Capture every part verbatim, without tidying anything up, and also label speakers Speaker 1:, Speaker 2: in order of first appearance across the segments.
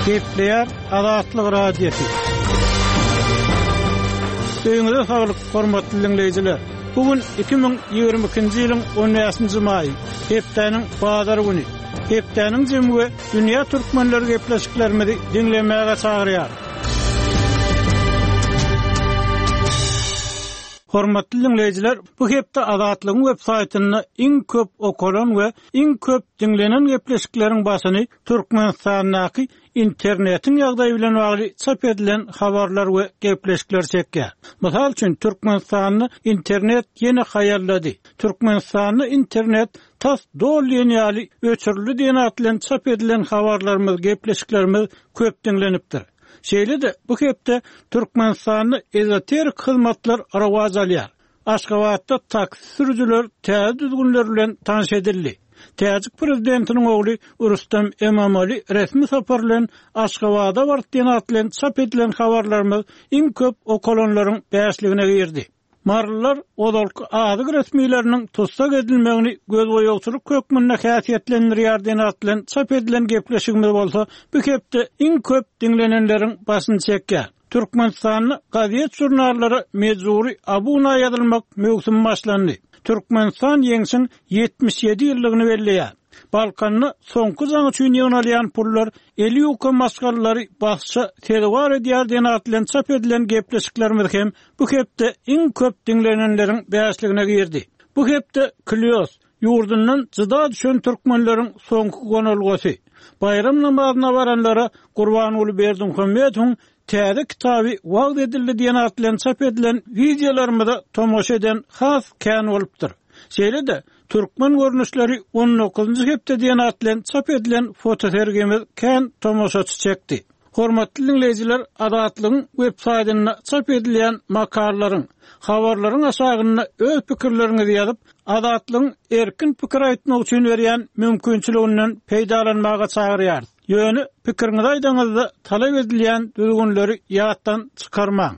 Speaker 1: Gepleýär Azatlyk Radiosy. Öýüňize saglyk, hormatly diňleýjiler. Bu gün iki müň ýigrimi ikinji ýylyň on bäşinji maýy, hepdäniň bazar güni. Hepdäniň jemi we dünýä türkmenleri gepleşiklerimizi diňlemäge çagyrýar. Hormatly diňleýjiler, bu hepde Azatlygyň web saýtynda iň köp okalan we iň köp diňlenen gepleşikleriň başyny Türkmenistandaky internetiň ýagdaýy bilen bagly çap edilen habarlar we gepleşikler çekýär. Mysal üçin, Türkmenistanda internet ýene haýallady. Türkmenistanda internet tas doly diýen ýaly öçürildi diýen at bilen çap edilen habarlarymyz, gepleşiklerimiz köp diňlenipdir. Şeýle-de bu hepde Türkmenistanda ezoterik hyzmatlar rowaç alýar. Aşgabatda taksi sürüjiler täze düzgünler bilen tanyş edildi. Täjik prezidentiniň ogly Rustam Emomali resmi sapar bilen Aşgabada baryp diýen at bilen çap edilen habarlarymyz iň köp okalanlaryň bäşligine girdi. Marylylar ozalky azyk resmileriniň tussag edilmegini gözboýagçylyk hökmünde häsiýetlendirýär diýen at bilen çap edilen gepleşigimiz bolsa bu hepde iň köp diňlenenleriň başyny çekýär. Türkmenistanda gazet jurnallara mejburi abuna ýazylmak möwsümi başlandy. Türkmenistan ýeňşiň ýetmiş ýedi ýyllygyny belleýär. Balkanda soňky jaň üçin ýygnalýan pullar eli ýuka maşgalalary basça sezewar edýär diýen at bilen çap edilen gepleşiklerimiz hem bu hepde iň köp diňlenenleriň bäşligine girdi. Bu hepde Klios ýurdundan jyda düşen türkmenleriň soňky gonalgasy. Bayram namazyna baranlara Gurbanguly Berdimuhamedowyň täze kitaby wagt edildi diýen at bilen çap edilen wideolarymyza tomaşa eden has kän bolupdyr. Şeýle-de türkmen görnüşleri on dokuzunjy hepde diýen at bilen çap edilen fotosergimiz kän tomaşaçy çekdi. Hormatly diňleýjiler, Azatlygyň web saýtynda çap edilen makalalaryň, habarlaryň aşagynda öz pikirleriňizi ýazyp, Azatlygyň erkin pikir aýtmak üçin berýän mümkinçiliginden peýdalanmaga çagyrýarys. Ýöne pikiriňizi aýdaňyzda talap edilýän düzgünleri ýatdan çykarmaň.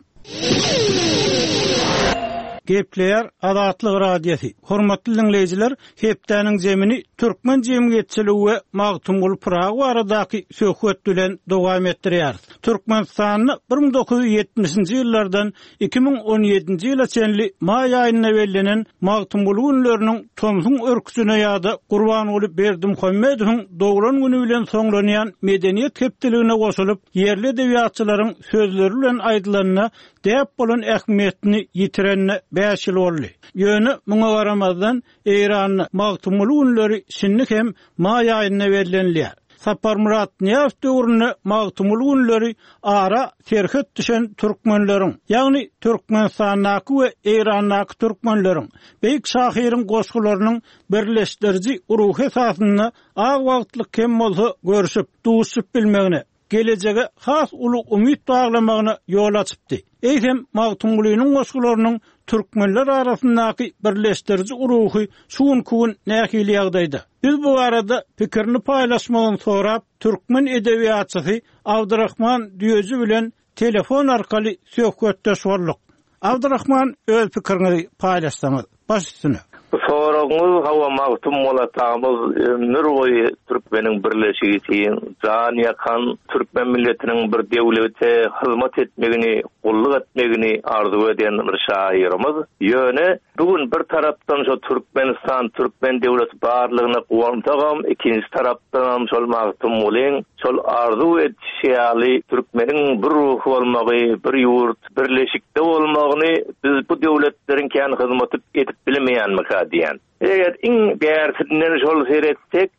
Speaker 1: Gepleýär Azatlyk Radiosy. Hormatly diňleýjiler, hepdäniň zemini türkmen jemgyýetçiligi we Magtymguly Pyragy baradaky söhbet bilen dowam etdirýär. Türkmenistanda bir müň dokuz ýüz ýetmişinji ýyllardan iki müň on ýedinji ýyla çenli maý aýynda bellenen Magtymguly günleriniň tomsuň örküsine ýa-da Gurbanguly Berdimuhamedowyň doglan güni bilen soňlanýan medeniýet hepdeligine goşulyp, ýerli edebiýatçylaryň sözleri bilen aýdylanda däp bolan ähmiýetini ýitirenine bäş ýyl boldy. Ýöne muňa garamazdan Eýranda Magtymguly günleri şindi hem maý aýynda bellenilýär. Saparmyrat Nyýazow döwründe Magtymguly günleri ara serhet düşen türkmenleriň, ýagny Türkmenistandaky we Eýrandaky türkmenleriň, beýik şahyryň goşgularynyň birleşdiriji ruhy esasynda az wagtlyk hem bolsa görüşip, duşup bilmegine, gelejege has uly umyt baglamagyna ýol açypdy. Eýsem Magtymgulynyň goşgularynyň türkmenler arasyndaky birleşdiriji ruhy şu günkü gün nähili ýagdaýda? Biz bu arada pikirini paýlaşmagyny sorap, türkmen edebiýatçysy Abdurrahman Düýeji bilen telefon arkaly söhbetdeş bolduk. Abdurrahman, öz pikiriňizi paýlaşsaňyz, baş üstüne.
Speaker 2: Bu soragyňyz hawa Magtymguly atamyz ömür boýy türkmeniň birleşigi üçin jan ýakan türkmen milletiniň bir döwlete hyzmat etmegini, gulluk etmegini arzuw eden bir şairimiz. Ýöne bugün bir tarapdan şo Türkmenistan, türkmen döwleti barlygyna guwansagam, ikinji tarapdan şol Magtymgulyň şol arzuw etişi ýaly türkmeniň bir ruhy bolmagy, bir ýurt birleşikde bolmagyny biz bu döwletleriň kän hyzmaty edip bilmeýänmika diýen. Eger iň bärsinden şol seretsek,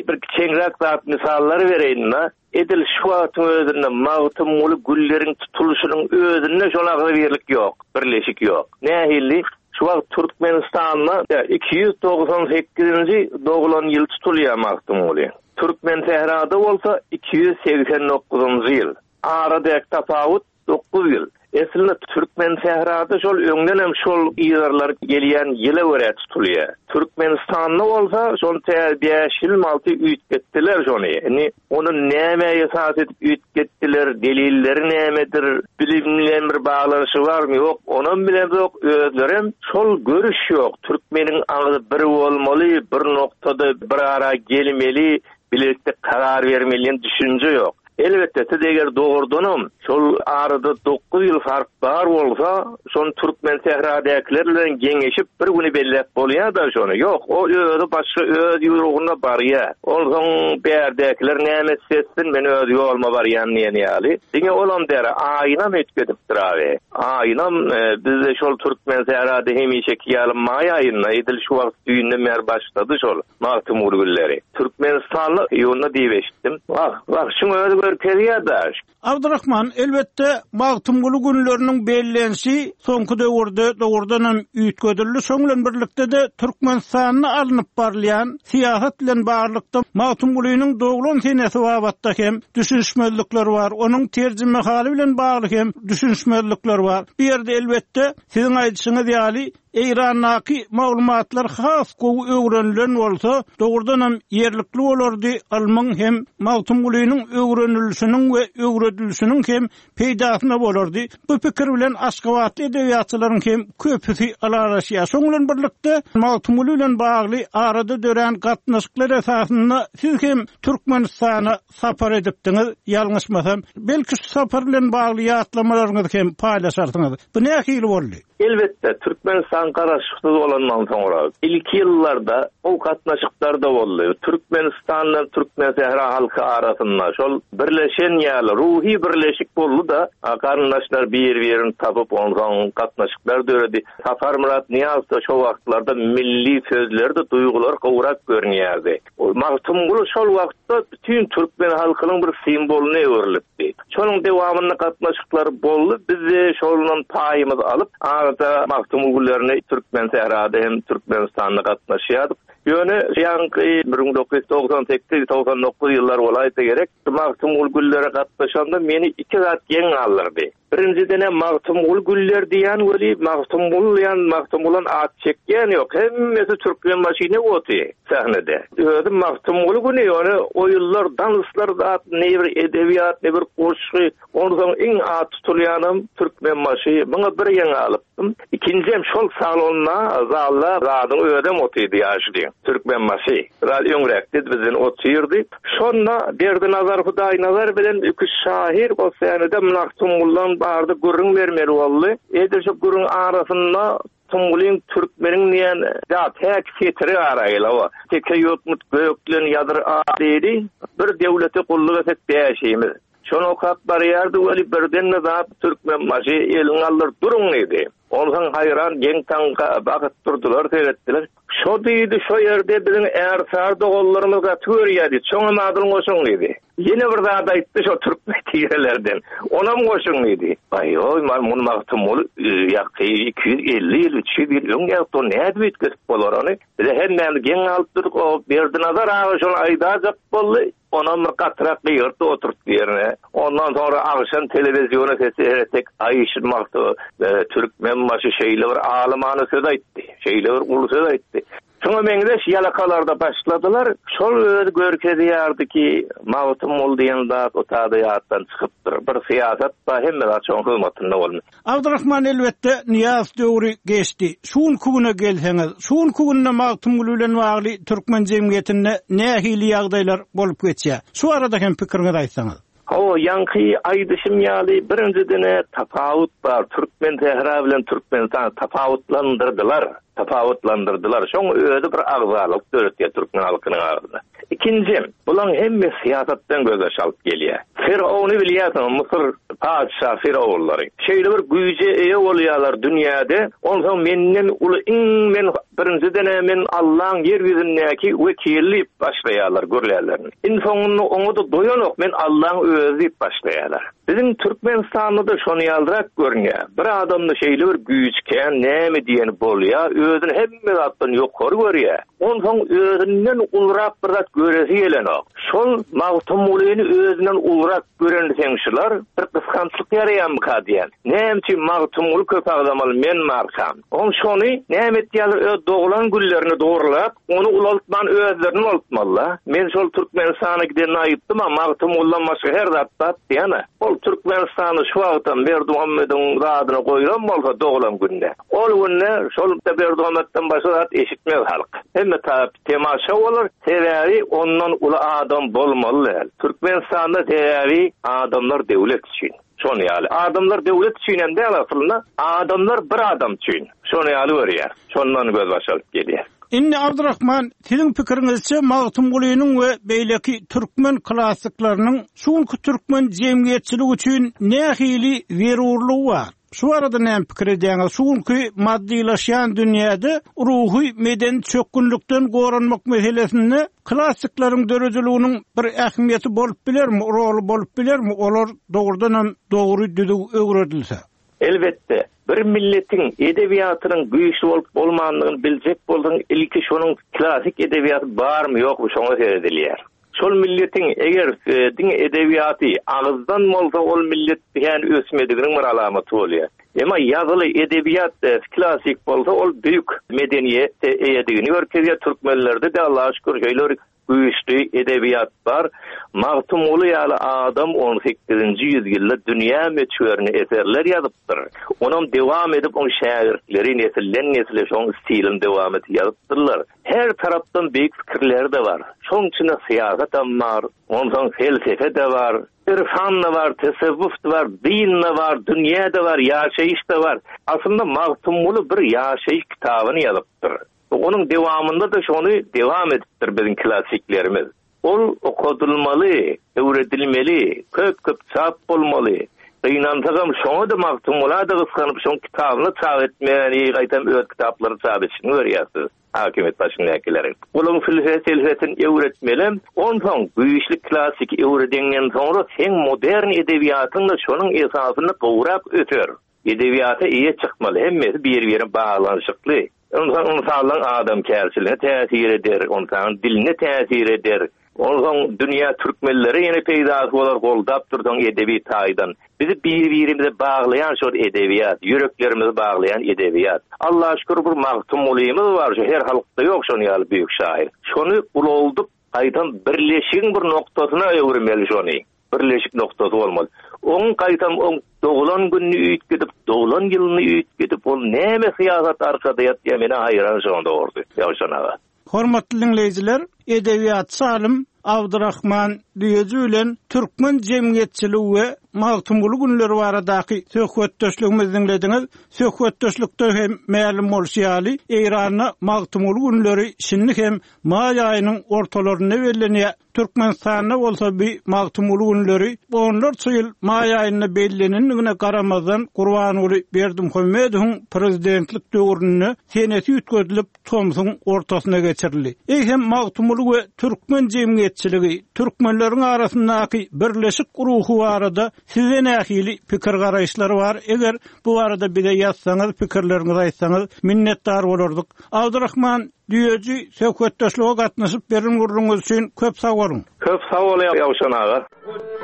Speaker 2: bir kiçeňräk zat misallar bereýin-de, edil şu wagtyň özünde Magtymguly gülleriň tutulyşynyň özünde şol agzybirlik ýok, birleşik ýok. Nähili? Şu wagt Türkmenistanda iki ýüz togsan sekizinji doglan ýyl tutulýar Magtymguly. Türkmen sährada bolsa iki ýüz segsen dokuzynjy ýyl. Aradäki tapawut dokuz ýyl. Eslinde Türkmen sährada şol öňden hem şol ýerler gelýän ýyla görä tutulýar. Türkmenistanda bolsa şol tä bäş ýyl alty üýtgetdiler şony. Indi onu näme esas edip üýtgetdiler, delilleri nämedir, bilim bilen bir baglanyşy barmy ýok, onam bilen ýok, özlerem şol görüş ýok. Türkmeniň agzy bir bolmaly, bir noktada bir ara gelmeli, bilelikde karar bermeli düşünje ýok. Elbetde siz eger dogrudanam şol arada dokuz ýyl fark bar bolsa, şon Türkmen sähradäkiler bilen geňeşip bir güni belläp bolýar da şony. Ýok, o özi başga öz ýuruguna barýar. Onsoň bärdäkiler näme etsin, men öz ýoluma barýan diýen ýaly. Diňe olam däre aýynam etgedipdir abi. Aýynam e, bizde şol Türkmen sährada hemişeki ýaly maý aýynda edil şu wagt düýnden bäri başlady şol Magtymguly günleri. Türkmenistanly iýunda diýip eşitdim. Wah, wah, şuň özi görkezýär da.
Speaker 1: Abdurrahman, elbetde Magtymguly günleriniň bellenişi soňky döwürde dogrudanam üýtgedildi. Şoň bilen birlikde de Türkmenistanda alnyp barylýan syýasat bilen baglylykda Magtymgulynyň doglan senesi babatda hem düşünişmezlikler bar. Onuň terjimehaly bilen bagly hem düşünişmezlikler bar. Bu ýerde elbetde siziň aýdyşyňyz ýaly Eýrandaky maglumatlar has gowy öwrenilen bolsa, dogrudanam ýerlikli bolardy ylmyň hem Magtymgulynyň öwrenilişiniň we öwredilişiniň hem peýdasyna bolardy. Bu pikir bilen Aşgabatly edebiýatçylaryň hem köpüsi ylalaşýar. Şoň bilen birlikde Magtymguly bilen bagly arada dörän gatnaşyklar esasynda siz hem Türkmenistana sapar edipdiňiz, ýalňyşmasam, belki şu sapar bilen bagly ýatlamalaryňyzy hem paýlaşarsyňyz. Bu nähili boldy?
Speaker 2: Elbetde Türkmenistan garaşsyz bolandan soňra ilki ýyllarda o gatnaşyklar da boldy. Türkmenistandan Türkmen sähra halky arasynda şol birleşen ýaly ruhy birleşik boldy da garyndaşlar bir-birini tapyp onsoň gatnaşyklar döredi. Saparmyrat Niýazow da şo wagtlarda milli sözlerde duýgular gowrak görünýärdi. Magtymguly şol wagtda bütün Türkmen halkynyň bir simwolyna öwrülipdi. Şonuň dewamynda gatnaşyklar boldy. Biz de şolundan paýymyzy alyp arada Magtymgulylaryny Türkmen sährada hem Türkmenistanda gatnaşýardyk. Ýöne ýaňky bir müň dokuz ýüz togsan sekiz togsan dokuz ýyllar bolaýsa gerek, Magtymguly güllere gatnaşanda meni iki zat geň galdyrdy. Birinjiden Magtymguly güller diýen weli Magtymguly diýen Magtymgulan at çekýän ýok. Hemmesi Türkmen maşyny oty sahnede. Özüm Magtymguly güni ýöne oýunlar, danslar zat, ne bir edebiýat, ne bir goşgy, onsoň iň at tutulýanam Türkmen maşy. Muňa bir geň alypdym. Ikinjim şol salonda, zalda zadyň özem otydy ýaşly. Türkmen maşy. Biraz öňräkdi bizden otyrdy. Şonda Berdinazar Hudaýnazar bilen iki şahyr o sahnede Magtymgulydan bardy gürrüň bermeli boldy. Edil şu gürrüň arasynda Tungulin Türkmeniň diýen zat häk setiri araýla o. Teke ýokmut göklen ýadyr diýdi. Bir döwlete gulluk etsek bäşimiz. Şonu okap barýardy weli birden de zat Türkmen maşy elin aldyr durun diýdi. Ondan haýran geň taňka bakyp durdular, seyretdiler. Şo diýdi, şo ýerde biziň ärsar dogollarymyz gaty görýärdi. Çoňam adyl goşuň diýdi. Ýene bir zat aýtdy şo türkmen tirelerden. Onam goşuň diýdi. Aý, oý, man muny Magtymguly ýaky iki ýüz elli ýyl, üç ýüz ýyl öň ýapdy, nädip üýtgetip bolar ony? Bize hemmämiz geň alyp durduk, o Berdinazar aga şony aýdajak boldy. Onam bir gatyrak gygyrtdy oturtdy ýerine. Ondan sonra akşam telewizyona sesi heretek aýşyn Magty, e, Türkmen maşy şeýle bir alymany söz aýtdy. Şeýle bir uly söz aýtdy. Şoňa meňzeş ýalakalarda başladylar. Şol öz görkezýärdi ki Magtymguly diýen zat o tada ýatdan çykypdyr. Bir syýasat ba hemme zat şoň hyzmatynda boldy.
Speaker 1: Abdurrahman elbetde Niýaz döwri geçdi. Şu güne gelseňiz, şu günde Magtymguly bilen bagly Türkmen jemgyýetinde nähili ýagdaýlar bolup geçýär? Şu arada hem pikiriňizi aýtsaňyz.
Speaker 2: O ýaňky aýdyşym ýaly birinjidene tapawut bar. Türkmen sähra bilen Türkmenistan tapawutlandyrdylar. Tapawutlandyrdylar. Şoň özi bir agzalyk döretýär Türkmen halkynyň arasynda. Ikinji, bulan hemme syýasatdan göze alyp gelýär. Firavunu bilýärsiň, Mısır patyşa Firavunlary. Şeýle bir güýje eýe bolýarlar dünýäde. Onsoň menden uly iň men birinjidene men Allaň ýer ýüzündäki wekili diýip başlaýarlar gürlärlerini. In soňunda oňa da doýanok men Allaň özi diýip başlaýarlar. Bizim Türkmenistanda da şony ýaldyrak görünýär. Bir adamda şeýle bir güýç kän näme diýeni bolýar, özüni hemme zatdan ýokary görýär. Onsoň özünden ulrak bir zat göresi gelenok. Şol Magtymgulyny özünden ulrak gören seňşiler bir Gysgançlyk ýaraýarmyka diýen. Näme üçin Magtymguly köp agzamaly men markam? On şony näme etýärler öz doglan güllerini dogrulap, ony ulaltman özlerini ulaltmaly. Men şol Türkmenistana giden aýtdym, Magtymgulydan başga her zat bat diýene. Ol Türkmenistany şu wagtam Berdimuhamediň zadyna goýlan bolsa doglan günde. Ol günde şol Berdimuhamedden başga zat eşitmez halk. Hemme tarap temaşa bolar, sebäbi ondan uly adam bolmaly däl. Türkmenistanda sebäbi adamlar döwlet üçin. Şony ýaly. Adamlar döwlet üçin hem däl aslynda, adamlar bir adam üçin. Şony ýaly görýär. Şondan göz baş alyp gelýär.
Speaker 1: Indi Abdurrahman, siziň pikiriňizçe Magtymgulynyň we beýleki türkmen klassyklarynyň şu günki türkmen jemgyýetçiligi üçin nähili zerurlygy bar? Şu arada näme pikir edýäňiz? Şu günki maddylaşýan dünýäde ruhy medeni çökgünlikden goranmak meselesinde klassyklaryň döredijiliginiň bir ähmiýeti bolup bilermi, roly bolup bilermi? Olar dogrudan hem dogry düzüw öwredilse.
Speaker 2: Elbetde, bir milletin edebiýatynyň güýçli bolup bolmandygyny biljek bolsaň, ilki şonuň klasik edebiýaty barmy ýokmy şoňa seredilýär. Şol milletin eger e, diňe edebiýaty agyzdan bolsa ol millet yani ösmediginiň bir alamaty bolýar. Emma ýazyly edebiýat e, klasik bolsa ol büyük medeniýet eýedigini görkezýär. Türkmenlerde de Allah'a şükür şeýle güýçli edebiýat bar. Magtymguly ýaly adam on sekizinji ýüzýylda dünýä möçberini eserler ýazypdyr. Onam dewam edip oň şägirtleri nesilden nesile şoň stilini dewam edip ýazypdyrlar. Her tarapdan büyük fikirler de var. Şoň içinde siýasat hem bar, ondan felsefe de var, irfan da var, tesewwuf da var, din de var, dünýä de var, ýaşaýyş da var. Aslynda Magtymguly bir ýaşaýyş kitabyny ýazypdyr. Onun devamında da şonu devam edipdir bizim klasiklerimiz. Ol okudulmaly, öwredilmeli, köp-köp çap bolmaly. Gynansagam şoňa da Magtymguly da gyskanyp şoň kitabyny çap etmäni, gaýtam öz kitaplary çap etişini görýärsiz. Hakimiýet başyndakylaryň. Olaryň felsefe öwretmeli. Onsoň güýçli klasik öwredenden soňra sen modern edebiýatyň da şonuň esasyny gowrak öter. Edebiýata eýe çykmaly, hemmesi bir-birine baglanyşykly. Onsoň insanlaryň adamkärçiligine täsir eder, onsoň diline täsir eder. Onsoň dünýä türkmenlere ýene peýdasy bolar, goldap dursaň edebi taýdan. Bizi bir-birimize baglaýan şol edebiýat, ýüreklerimizi baglaýan edebiýat. Allah'a şükür bir Magtymgulymyz bar, şu her halkda ýok şonuň ýaly büyük şair. Şony ululdyp, gaýtam birleşigiň bir noktasyna öwürmeli şony. Birleşik noktasy bolmaly. Oň gaýtam oň doglan gününi üýtgedip, doglan ýylyny üýtgedip, ol näme syýasat arkada ýatýar, meni haýran şoň dogrusu. Ýowşan aga.
Speaker 1: Hormatly dinleýjiler, edebiýatçy alym Abdurrahman Düýeji bilen türkmen jemgyýetçiligi we Magtymguly günleri baradaky söhbetdeşligimizi dinlediňiz. Söhbetdeşlikde hem mälim bolşy ýaly, Eýranda Magtymguly günleri şindi hem maý aýynyň ortalarynda bellenýär. Türkmenistanda bolsa bi Magtymguly günleri onlarça ýyl maý aýynda bellenendigine garamazdan Gurbanguly Berdimuhamedowyň prezidentlik döwründe senesi üýtgedilip tomsuň ortasyna geçirildi. Ey hem Magtymguly we türkmen jemgyýetçiligi, türkmenleriň arasyndaky birleşik ruhy barada size nähili pikir garaýyşlar bar? Eger bu barada bize ýazsaňyz, pikirleriňizi aýtsaňyz, minnetdar bolardyk. Abdurrahman Düýeji söhbetdeşlige gatnaşyp beren gürrüňiz üçin köp sag boluň.
Speaker 2: Köp sag boluň Ýowşan aga.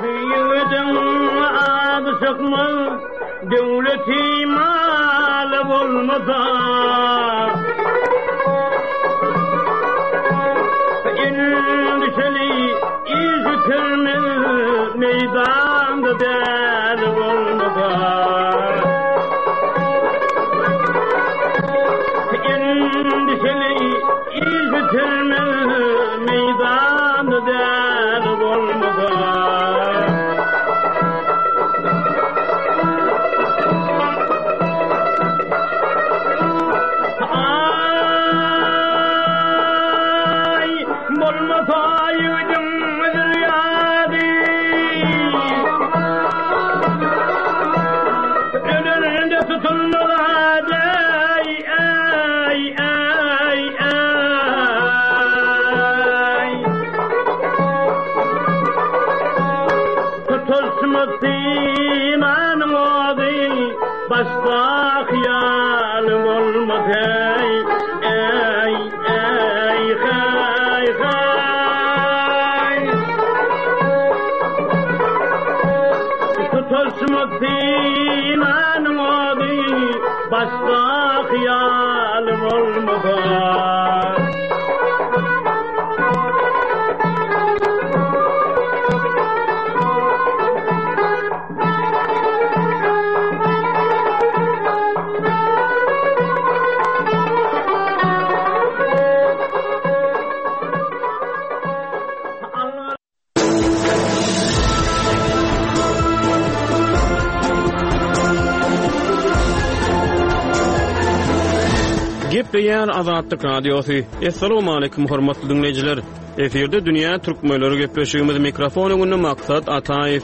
Speaker 3: Ýigediň ady çykmaz, döwleti maly bolmasa. Endişeli iş bitirmez, meydanda däli bolmasa. Endişeli iş bitirmez, meydanda däli bolmasa. Ay, bolmasa ýigdiň zürýady. Ölende tutulmaz, ey, ey, ey, ey. Tutulmaz imanın ody, başda hyýaly bolmaz, ey, ey, ey, hey, hey. Tutulmaz Başda hyýalym bolmasa.
Speaker 4: Gepleýär Azatlyk Radiosy. Essalamu aleýkum hormatly dinleýjiler. Efirde Dünýä Türkmenleri gepleşigimiz mikrofon öňünde Maksat Ataýew.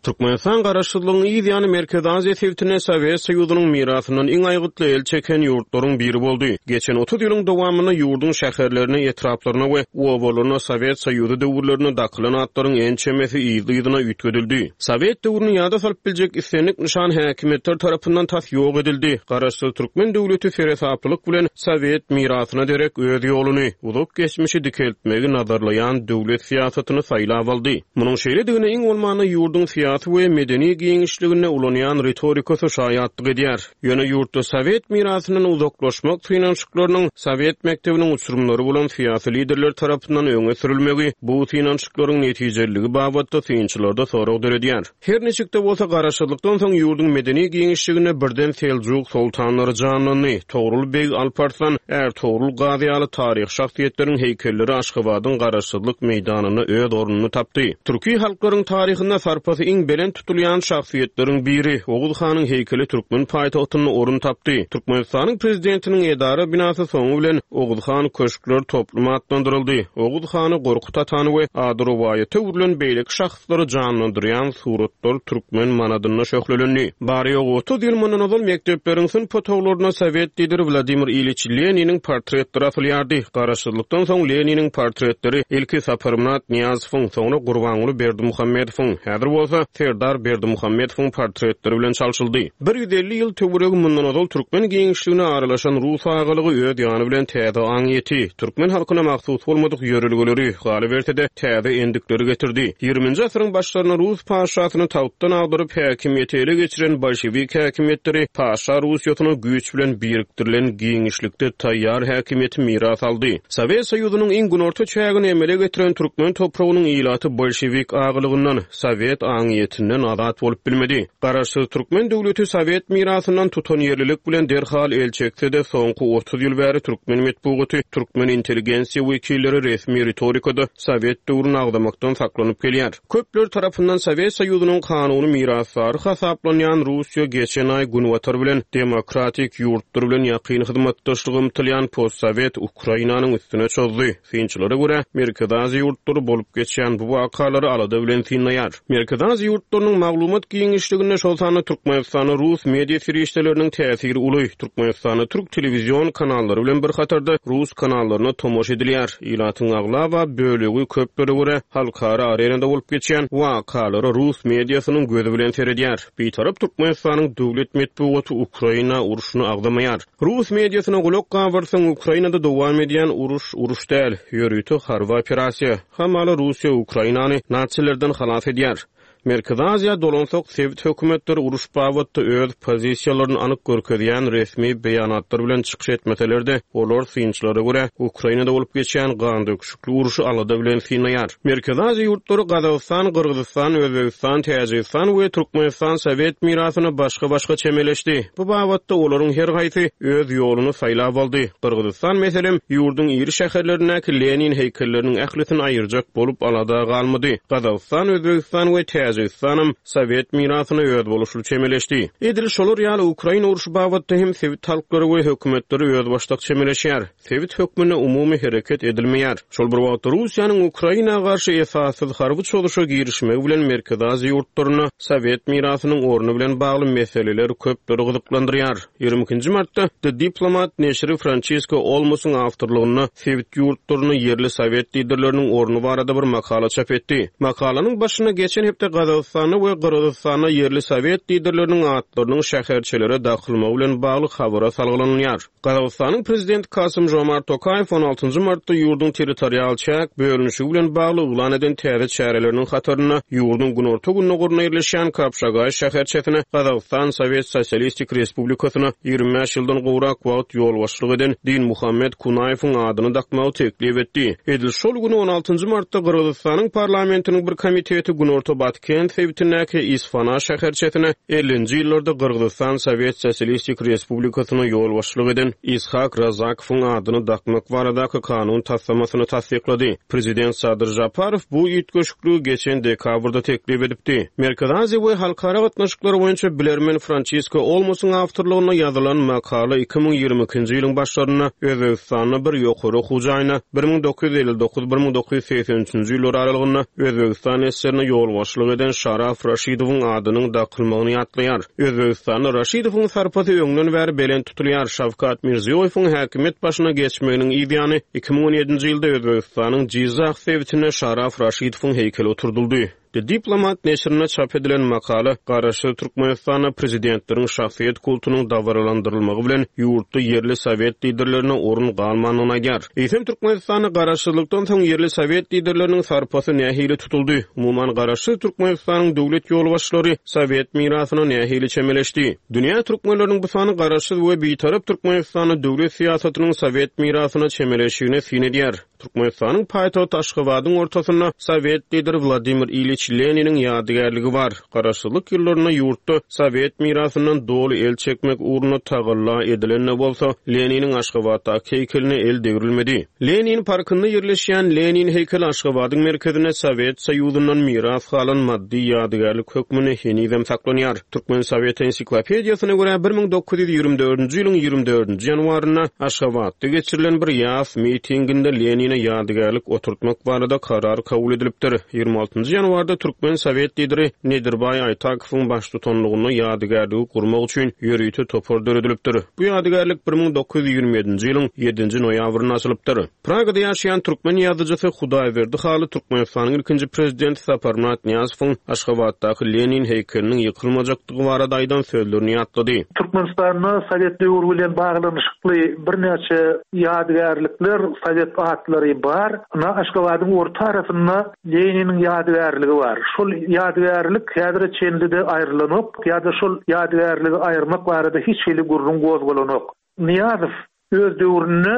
Speaker 4: Türkmenistan garaşsyzlygyň yz ýany Merkezi Aziýa sebitinde Sowet Soýuzynyň mirasyndan iň aýgytly el çeken ýurtlaryň biri boldy. Geçen otuz ýylyň dowamynda ýurduň şäherlerine, etraplaryna we obalaryna Sowet Soýuzy döwürlerine dakylan atlaryň ençemesi yzly-yzyna üýtgedildi. Sowet döwrüni ýada salyp biljek islendik nyşan häkimiýetler tarapyndan tas ýok edildi. Garaşsyz türkmen döwleti seresaplylyk bilen Sowet mirasyna derek öz ýoluny, uzak geçmişi dikeltmegi nazarlaýan döwlet syýasatyny saýlap aldy. Munuň şeýledigine iň bolmanda ýurduň syýasy we medeni giňişliginde ulanýan ritorikasy şaýatlyk edýär. Ýöne ýurtda Sowet mirasyndan uzaklaşmak synanyşyklarynyň Sowet mekdebiniň uçurymlary bolan syýasy liderler tarapyndan öňe sürülmegi bu synanyşyklaryň netijeliligi babatda synçylarda sorag döredýär. Her niçik-de bolsa garaşsyzlykdan soň ýurduň medeni giňişliginde birden Seljuk soltanlary janlandy. Togrul beg Alparslan, Ertugrul Gazy ýaly taryh şahsyýetleriniň heýkelleri Aşgabadyň garaşsyzlyk meýdanynda öz ornuny tapdy. Türki halklaryň taryhynda sarpasy iň belent tutulýan şahsyýetleriň biri Oguz hanyň heýkeli türkmen paýtagtynda orun tapdy. Türkmenistanyň prezidentiniň edara binasy soňy bilen Oguz han köşkler toplumy atlandyryldy. Oguz hany Gorkut atany we ady rowaýata öwrülen beýleki şahslary janlandyrýan suratlar türkmen manadynda şöhlelendi. Bary ýogy otuz ýyl mundan ozal mekdepleriň synp otaglaryna Sowet lideri Wladimir Iliç Leniniň portretleri asylýardy. Garaşsyzlykdan soň Leniniň portretleri ilki Saparmyrat Niýazowyň, soňra Gurbanguly Berdimuhamedowyň, häzir bolsa Serdar Berdimuhamedowyň portretleri bilen çalşyldy. bir ýüz elli ýyl töweregi mundan ozal türkmen giňişligine aralaşan Rus agalygy öz ýany bilen täze aňyýeti, türkmen halkyna mahsus bolmadyk ýörelgeleri, galyberse-de täze endikleri getirdi. ýigriminji asyryň başlarynda Rus paşasyny tagtdan agdaryp häkimiýeti ele geçiren bolşewik häkimiýetleri paşa Russiýasyna güýç bilen birikdirilen giňişlikde taýýar häkimiýeti miras aldy. Sowet Soýuzynyň iň günorta çägini emele getiren türkmen topragynyň ilaty bolşewik agalygyndan, Sowet aňyýetinden azat bolup bilmedi. Garaşsyz türkmen döwleti Sowet mirasyndan tutanýerlilik bilen derhal el çekse-de soňky otuz ýyl bäri türkmen metbugaty, türkmen intelligensiýa wekilleri resmi ritorikada Sowet döwrüni agzamakdan saklanyp gelýär. Köpler tarapyndan Sowet Soýuzynyň kanuny mirasdary hasaplanýan Russiýa geçen aý Günbatar bilen demokratik ýurtlar bilen ýakyn hyzmatdaşlyga ymtylýan postsowet Ukrainanyň üstüne çozdy. Synçylara görä, Merkezi Aziýa ýurtlary bolup geçýän bu wakalary alada bilen synlaýar. Merkezi Aziýa ýurtlarynyň maglumat giňişliginde şol sanda Türkmenistanda rus media serişdeleriniň täsiri uly. Türkmenistanda türk telewizion kanallary bilen bir hatarda rus kanallaryna tomaşa edilýär. Ilatyň aglaba bölegi köplere görä halkara arenada bolup geçýän wakalara rus mediasynyň gözi bilen seredýär. Bitarap Türkmenistanyň döwlet metbugaty Ukraina urşuny agzamaýar. Rus mediasyna gulak gabyrsaň Ukrainada dowam edýän uruş uruş däl, ýörite harby operasiýa. Hamala Russiýa Ukrainany natsilerden halas edýär. Merkezi Aziýa dolansak sebit hökümetleri uruş babatda öz pozisiýalaryny anyk görkezýän resmi beýanatlar bilen çykyş etmeseler-de, olar synçylara görä Ukrainada bolup geçýän gan döküşikli uruşy alada bilen synlaýar. Merkezi Aziýa ýurtlary Gazagystan, Gyrgyzystan, Özbegistan, Täjigistan we Türkmenistan Sowet mirasyna başga-başga çemeleşdi. Bu babatda olaryň her haýsy öz ýoluny saýlap aldy. Gyrgyzystan meselem ýurduň iri şäherlerindäki Lenin heýkelleriniň ählisini aýyrjak bolup alada galmady. Gazagystan, Özbegistan we Täjigistanam Sowet mirasyna öz boluşly çemeleşdi. Edil şolar ýaly Ukraina urşy babatda hem sebit halklary we hökümetleri öz başdak çemeleşýär. Sebit hökmünde umumy hereket edilmeýär. Şol bir wagtda Russiýanyň Ukraina garşy esassyz harby çozuşa girişmegi bilen Merkezi Aziýa ýurtlaryna Sowet mirasynyň orny bilen bagly meseleler köpleri gyzyklandyrýar. ýigrimi ikinji martda The Diplomat neşiri Francisco Olmosyň awtorlygynda sebit ýurtlaryna ýerli sowet liderleriniň orny barada bir makala çap etdi. Makalanyň başynda geçen hepde Gazagystanda we Gyrgyzystanda ýerli sowet liderleriniň atlarynyň şäherçelere dakylmagy bilen bagly habara salgylanylýar. Gazagystanyň prezidenti Kasym-Žomart Tokaýew on altynjy martda ýurduň territorial çäk bölünişigi bilen bagly yglan eden täze çäreleriniň hatarynda ýurduň günorta-gündogarynda ýerleşýän Kapşagaý şäherçesine Gazagystan Sowet Sosialistik Respublikasyna ýigrimi bäş ýyldan gowrak wagt ýolbaşçylyk eden Dinmuhammet Kunaýewiň adyny dakmagy teklip etdi. Edil şol güni on altynjy martda Gyrgyzystanyň parlamentiniň bir komiteti Günorta Batken sebitindäki Isfana şäherçesine ellinji ýyllarda Gyrgyzystan Sowet Sosialistik Respublikasyna ýolbaşçylyk eden Ishak Razakowyň adyny dakmak baradaky kanun taslamasyny tassyklady. Prezident Sadyr Žaparow bu üýtgeşikligi geçen dekabrda teklip edipdi. Merkezi Aziýa we halkara gatnaşyklary boýunça bilermen Françisko Olmosyň awtorlygynda ýazylan makala iki müň ýigrimi ikinji ýylyň başlarynda Özbegistanda bir ýokary okuw jaýyna bir müň dokuz ýüz elli dokuz bir müň dokuz ýüz segsen üçünji ýyllar aralygynda Özbegistan esgerine ýolbaşçylyk eden Şaraf Raşidowyň adynyň dakylmagyny ýatlaýar. Özbegistanda Raşidowyň sarpasy öňden bäri belent tutulýar. Şawkat Mirziýoýewiň häkimiýet başyna geçmeginiň ýany iki müň on ýedinji ýylda Özbegistanyň Jizah sebitinde Şaraf Raşidowyň heýkeli oturdyldy. The Diplomat neşirinde çap edilen makala Garaşsyz Türkmenistanda prezidentleriň şahsyýet kultunyň dabaralandyrylmagy bilen ýurtda ýerli sowet liderlerine orun galmandygyny aýdýar. Eýsem Türkmenistanda garaşsyzlykdan soň ýerli sowet liderleriniň sarpasy nähili tutuldy? Umuman Garaşsyz Türkmenistanyň döwlet ýolbaşçylary sowet mirasyna nähili çemeleşdi? Dünýä türkmenleriniň bu sany garaşsyz we bitarap Türkmenistanda döwlet syýasatynyň sowet mirasyna çemeleşigine syn edýär. Türkmenistanyň paýtagty Aşgabadyň ortasynda sowet lideri Wladimir Iliç Leniniň ýadygärligi bar. Garaşsyzlyk ýyllarynda ýurtda sowet mirasyndan doly el çekmek ugrunda tagalla edilen bolsa, Leniniň Aşgabatdaky heýkeline el degrilmedi. Lenin parkynda ýerleşýän Lenin heýkeli Aşgabadyň merkezinde Sowet Soýuzyndan miras galan maddy ýadygärlik hökmünde henizem saklanýar. Türkmen Sowet ensiklopediýasyna görä bir müň dokuz ýüz ýigrimi dördünji ýylyň ýigrimi dördünji ýanwarynda Aşgabatda geçirilen bir ýas mitinginde Lenine ýadygärlik oturtmak barada karar kabul edilipdir. Ýigrimi altynjy ýanwarda Türkmen Sowet lideri Nedirbaý Aýtakowyň baştutanlygynda ýadygärligi gurmak üçin ýörite topar döredilipdir. Bu ýadygärlik bir müň dokuz ýüz ýigrimi ýedinji ýylyň ýedinji noýabrynda açylypdyr. Pragada ýaşaýan türkmen ýazyjysy Hudaýberdi Haly Türkmenistanyň ilkinji prezidenti Saparmyrat Nyýazowyň Aşgabatdaky Lenin heýkeliniň ýykylmajakdygy barada aýdan sözlerini ýatlady.
Speaker 5: Türkmenistanda Sowet döwri bilen baglanyşykly birnäçe ýadygärlikler, Sowet atlary bar. Na Aşgabadyň orta arasynda Leniniň ýadygärligi bar. Şol ýadygärlik häzire çenli-de aýrylanok ýa-da şol ýadygärligi aýyrmak barada hiç hili gürrüň gozgalanok. Nyýazow öz döwründe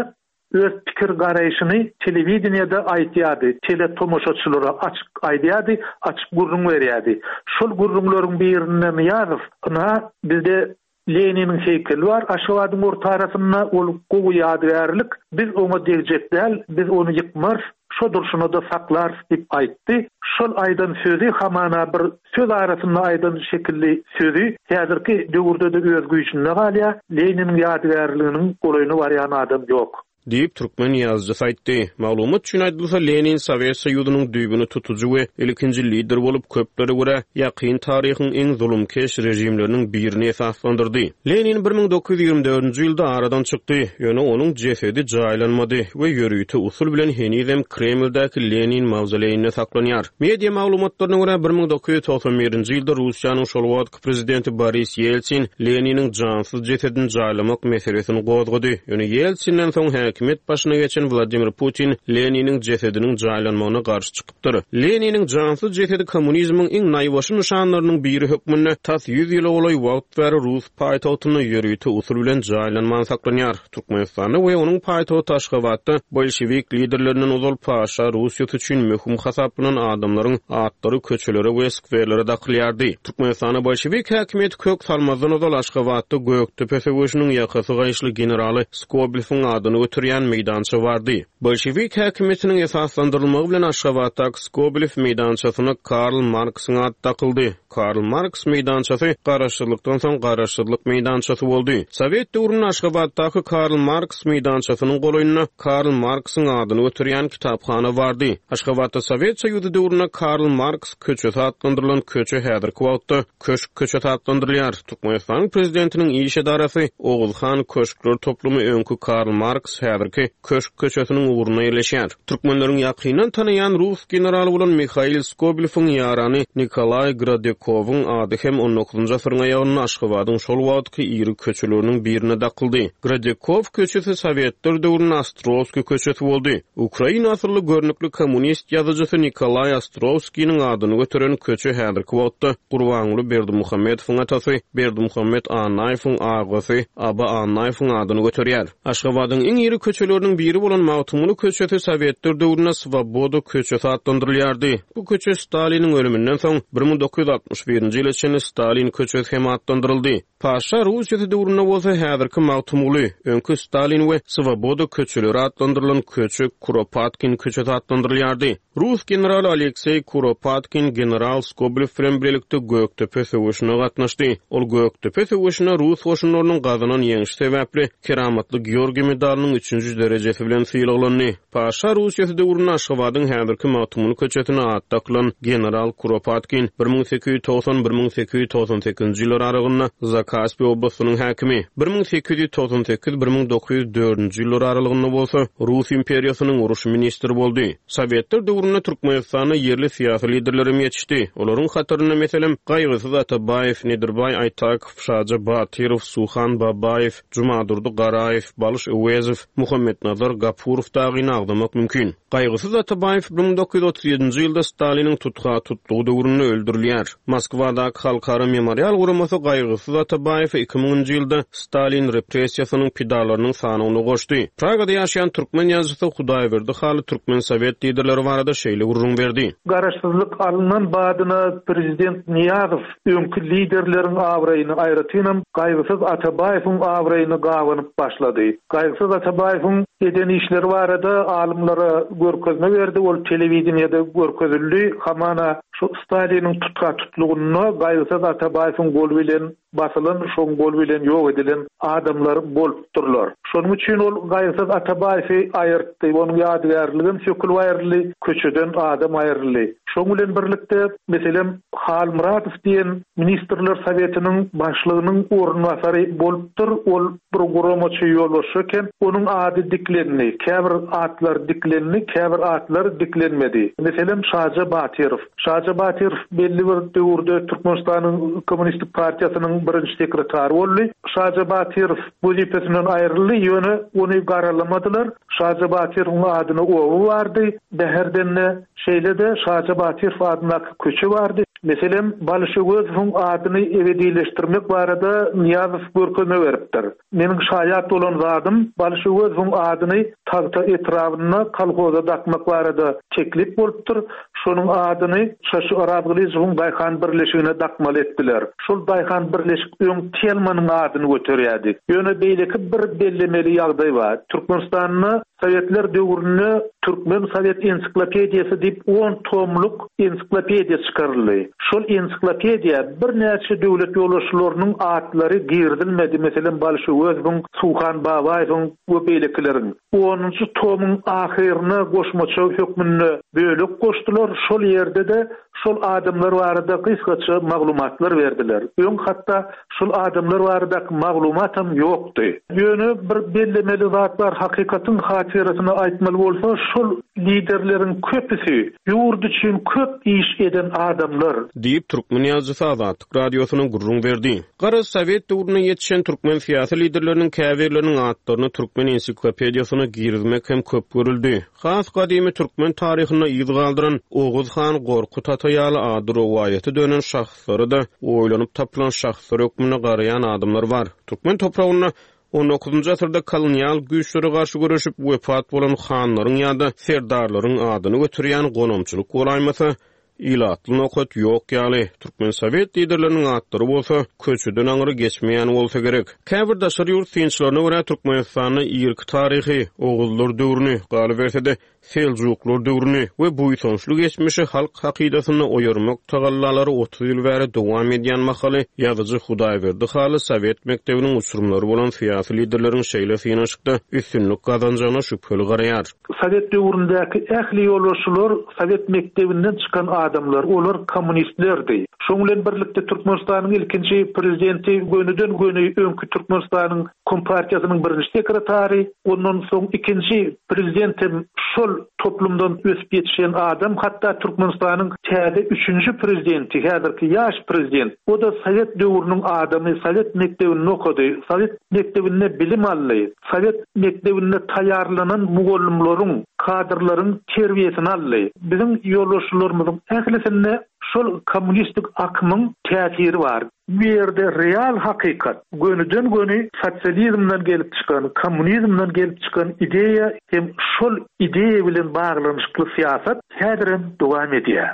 Speaker 5: öz pikir garaýşyny telewideniýede aýtýardy, teletomaşaçylara açyk aýdýardy, açyk gürrüň berýärdi. Şol gürrüňleriň birinde Nyýazow, "Ynha, bizde Leniniň heýkeli bar Aşgabadyň orta arasynda, ol gowy ýadygärlik, biz oňa degjek däl, biz ony ýykmarys, şo durşuna da saklarys" diýip aýtdy. Şol aýdan sözi hamana bir söz arasynda aýdan şekilli sözi häzirki döwürde de öz güýjünde galýar. Leniniň ýadygärliginiň golaýyna barýan adam ýok
Speaker 4: diýip türkmen ýazyjysy aýtdy. Maglumat üçin aýdylsa, Lenin Sowet Soýuzynyň düýbüni tutujy we ilkinji lider bolup köplere görä ýakyn taryhyň iň zulumkeş režimleriniň birini esaslandyrdy. Lenin bir müň dokuz ýüz ýigrimi dördünji ýylda aradan çykdy. Ýöne onuň jesedi jaýlanmady we ýörite usul bilen henizem Kremldäki Lenin mawzoleýinde saklanýar. Media maglumatlaryna görä bir müň dokuz ýüz togsan birinji ýylda Russiýanyň şol wagtky prezidenti Boris Ýeltsin Leniniň jansyz jesedini jaýlamak meselesini gozgady. Ýöne Ýeltsinden soň häkimiýet başyna geçen Wladimir Putin Leniniň jesediniň jaýlanmagyna garşy çykypdyr. Leniniň jansyz jesedi kommunizmiň iň naýbaşy nyşanlarynyň biri hökmünde tas ýüz ýyla golaý wagt bäri Rus paýtagtynda ýörite usul bilen jaýlanman saklanýar. Türkmenistanda we onuň paýtagty Aşgabatda bolşewik liderlerinden ozal paşa Russiýasy üçin möhüm hasaplanan adamlaryň atlary köçelere we skwerlere dakylýardy. Türkmenistanda bolşewik häkimiýeti kök salmazdan ozal Aşgabatda Gökdepe söweşiniň ýakasy gaýyşly generaly Skobelewiň adyny götürýän meýdança bardy. Bolşewik häkimiýetiniň esaslandyrylmagy bilen Aşgabatdaky Skobelew meýdançasyna Karl Marksyň ady dakyldy. Karl Marks meýdançasy Garaşsyzlykdan soň Garaşsyzlyk meýdançasy boldy. Sowet döwründe Aşgabatdaky Karl Marks meýdançasynyň golaýynda Karl Marksyň adyny göterýän kitaphana bardy. Aşgabatda Sowet Soýuzy döwründe Karl Marks köçesi atlandyrylan köçe häzirki wagtda Köşk köçesi atlandyrylýar. Türkmenistanyň Prezidentiniň iş edarasy Oguzhan köşkler toplumy öňki Karl Marks, häzirki Köşk köçesiniň ugrunda ýerleşýär. Türkmenleriň ýakyndan tanaýan rus generaly bolan Mihail Skobelewiň ýarany Nikolaý Grodekowyň ady hem on dokuzynjy asyryň aýagynda Aşgabadyň şol wagtky iri köçeleriniň birine dakyldy. Grodekow köçesi sowetler döwründe Ostrowskiý köçesi boldy. Ukraina asylly görnükli kommunist ýazyjysy Nikolaý Ostrowskiniň adyny göteren köçe häzirki wagtda Gurbanguly Berdimuhamedowyň atasy Berdimuhamet Annaýewiň agasy Aba Annaýewiň adyny göterýär. Aşgabadyň iň iri köçeleriniň biri bolan Magtymguly köçesi sowetler döwründe Swoboda köçesi atlandyrylýardy. Bu köçe Staliniň ölüminden soň bir müň dokuz ýüz altmyş birinji ýyla çenli Stalin köçesi hem atlandyryldy. Paşa Russiýasy döwründe bolsa häzirki Magtymguly, öňki Stalin we Swoboda köçeleri atlandyrylan köçe Kuropatkin köçesi atlandyrylýardy. Rus generaly Alekseý Kuropatkin general Skobelew bilen birlikde Gökdepe söweşine gatnaşdy. Ol Gökdepe söweşinde rus goşunlarynyň gazanan ýeňşi sebäpli Keramatly Georgiý medalynyň üçünji derejesi bilen sylaglandy. Paşa Russiýasy döwründe Aşgabadyň häzirki Magtymguly köçesine at dakylan general Kuropatkin bir müň sekiz ýüz togsan bir müň sekiz ýüz togsan sekizinji ýyllar aralygynda Zakaspi oblastynyň häkimi, bir müň sekiz ýüz togsan sekiz bir müň dokuz ýüz dördünji ýyllar aralygynda bolsa Rus imperiýasynyň uruş ministri boldy. Sowetler döwründe Türkmenistanda ýerli syýasy liderler hem ýetişdi. Olaryň hatarynda meselem Gaýgysyz Atabaýew, Nedirbaý Aýtakow, Şaja Batyrow, Suhan Babaýew, Jumadurdy Garaýew, Balyş Öwezow, Muhammetnazar Gapurow dagyny agzamak mümkin. Gaýgysyz Atabaýew bir müň dokuz ýüz otuz ýedinji ýylda Staliniň tutga tutlugy döwründe öldürilýär. Moskwadaky Halkara Memorial guramasy Gaýgysyz Atabaýewi iki müňünji ýylda Stalin repressiýasynyň pidalarynyň sanawyna goşdy. Pragada ýaşaýan türkmen ýazyjysy Hudaýberdi Haly türkmen sowet liderleri barada şeýle gürrüň berdi.
Speaker 5: Garaşsyzlyk alynan badyna prezident Niýazow öňki liderleriň abraýyny aýratynam Gaýgysyz Atabaýewiň abraýyny gabanyp başlady. Gaýgysyz Atabaýewiň eden işleri barada alymlara görkezme berdi, ol telewideniýede görkezildi. Hamana şu Staliniň tutga tutlugynda Gaýgysyz Atabaýewiň goly bilen basylan, şoň goly bilen ýok edilen adamlar bolupdyrlar. Şonuň üçin ol Gaýgysyz Atabaýewi aýyrtdy, onuň ýadygärligem sökülip aýryldy, köçeden adam aýryldy. Şoň bilen birlikde, meselem, Halmyradow diýen Ministrler Sowetiniň başlygynyň orunbasary bolupdyr, ol bir guramaçy ýolbaşçy eken, onuň ady diklendi, käbir atlar diklendi, käbir atlar diklenmedi. Meselem, Şaja Batyrow. Şaja Batyrow belli bir döwürde Türkmenistanyň Kommunistik Partiýasynyň birinji sekretary boldy. Şaja Batyrow wezipesinden aýryldy, ýöne ony garalamadylar. Şaja Batyrowyň adyna oba bardy, Bäherdende şeýle-de Şaja Batyrow adyndaky köçe bardy. Meselem, Balyş Öwezowyň adyny ebedileşdirmek barada Niýazow görkezme beripdir. Meniň şaýat bolan zadym Balyş Öwezowyň adyny Tagta etrabynda kolhoza dakmak barada teklip bolupdyr. Şonuň adyny Şaşy Orazgylyjowyň Daýhan birleşigine dakmaly etdiler. Şol Daýhan birleşik öň Telmanyň adyny göterýärdi. Ýöne beýleki bir bellemeli ýagdaý bar. Türkmenistanda Sowetler döwründe Türkmen Sowet ensiklopediýasy diýip on tomluk ensiklopediýa çykaryldy. Şol ensiklopediýa birnäçe döwlet ýolbaşçylarynyň atlary girizilmedi. Meselem, Balyş Öwezowyň, Suhan Babaýewiň we beýlekileriň. Onunjy tomuň ahyryna goşmaça hökmünde bölek goşdular. Şol ýerde-de şol adamlar barada gysgaça maglumatlar berdiler. Öň hatda şol adamlar baradaky maglumatam ýokdy. Ýöne bir bellemeli zat bar, hakykatyň hatyrasyna aýtmaly bolsa, şol liderleriň köpüsi ýurt üçin köp iş eden adamlar
Speaker 4: diýip türkmen ýazyjysy Azatlyk radiosyna gürrüň berdi. Garaz, sowet döwründe ýetişen türkmen syýasy liderleriniň käbirleriniň atlaryny türkmen ensiklopediýasyna girizmek hem köp görüldi. Has gadymy türkmen taryhynda yz galdyran Oguz han Gorkut ata ýaly ady rowaýaty dönen şahslary da oýlanyp tapylan şahslar hökmünde garaýan adamlar bar. Türkmen topragynda on dokuzynjy asyrda kolonial güýçlere garşy göreşip wepat bolan hanlaryň ýa-da serdarlaryň adyny götürýän gonamçylyk bolaýmasa, ilatly nokat ýok ýaly, türkmen sowet liderleriniň atlary bolsa köçeden aňry geçmeýän bolsa gerek. Käbir daşary ýurt synçylaryna görä Türkmenistanda irki taryhy, Oguzlar döwrüni, galyberse-de Seljuklar döwrüni we buýsançly geçmişi halk hakydasynda oýarmak tagallalary otuz ýyl bäri dowam edýän mahaly ýazyjy Hudaýberdi Hally sowet mekdebiniň uçurymlary bolan syýasy liderleriň şeýle synanyşykda üstünlik gazanjagyna şübheli garaýar.
Speaker 5: Sowet döwründäki ähli ýolbaşçylar sowet mekdebinden çykan adamlar, olar kommunistlerdi. Şoň bilen birlikde Türkmenistanyň ilkinji prezidenti gönüden-göni öňki Türkmenistanyň Kompartiýasynyň birinji sekretary, ondan soň ikinji prezident hem şol toplumdan ösüp ýetişen adam, hatda Türkmenistanyň täze üçünji prezidenti, häzirki ýaş prezident, o-da sowet döwrüniň adamy, sowet mekdebinde okady, sowet mekdebinde bilim aldy, sowet mekdebinde taýýarlanan mugallymlaryň, kadrlaryň terbiýesini aldy. Biziň ýolbaşçylarymyzyň ählisinde şol kommunistik akymyň täsiri bar. Bu ýerde real hakykat, gönüden-göni sosializmden gelip çykan, kommunizmden gelip çykan ideýa hem şol ideýa bilen baglanyşykly syýasat häzirem dowam edýär.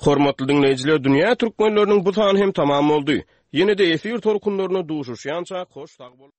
Speaker 4: Hormatly diňleýjiler, Dünýä türkmenleriniň bu sany hem tamam boldy. Ýene-de efir tolkunlarynda duşuşýança hoş sag boluň.